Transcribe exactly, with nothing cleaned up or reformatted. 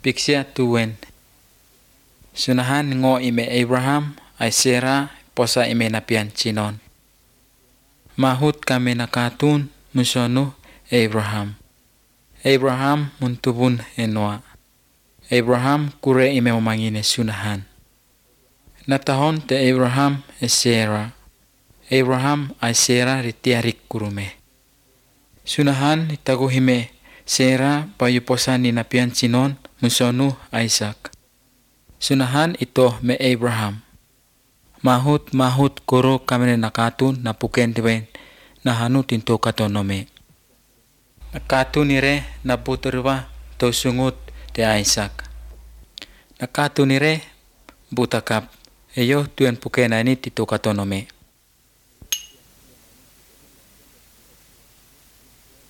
Piksia tuwen. Sunahan ngo ime Abraham ay Sarah posa ime napian chinon. Mahut kami nakatun musono Abraham. Abraham muntubun enwa. Abraham kure ime umangine sunahan. Natahon te Abraham e Sarah. Abraham ay Sarah ritiarik kurume. Sunahan itaguhime Sarah payu posa ni napian chinon musono Isaac. Sunahan ito me Abraham. Mahut mahut kuro kami nakatun na puken diwen na hanu tinto katonome. Nakatun nire na buterwa to sungut te Isaac. Nakatun nire butakap eyo tuen puken ani tinto katonome.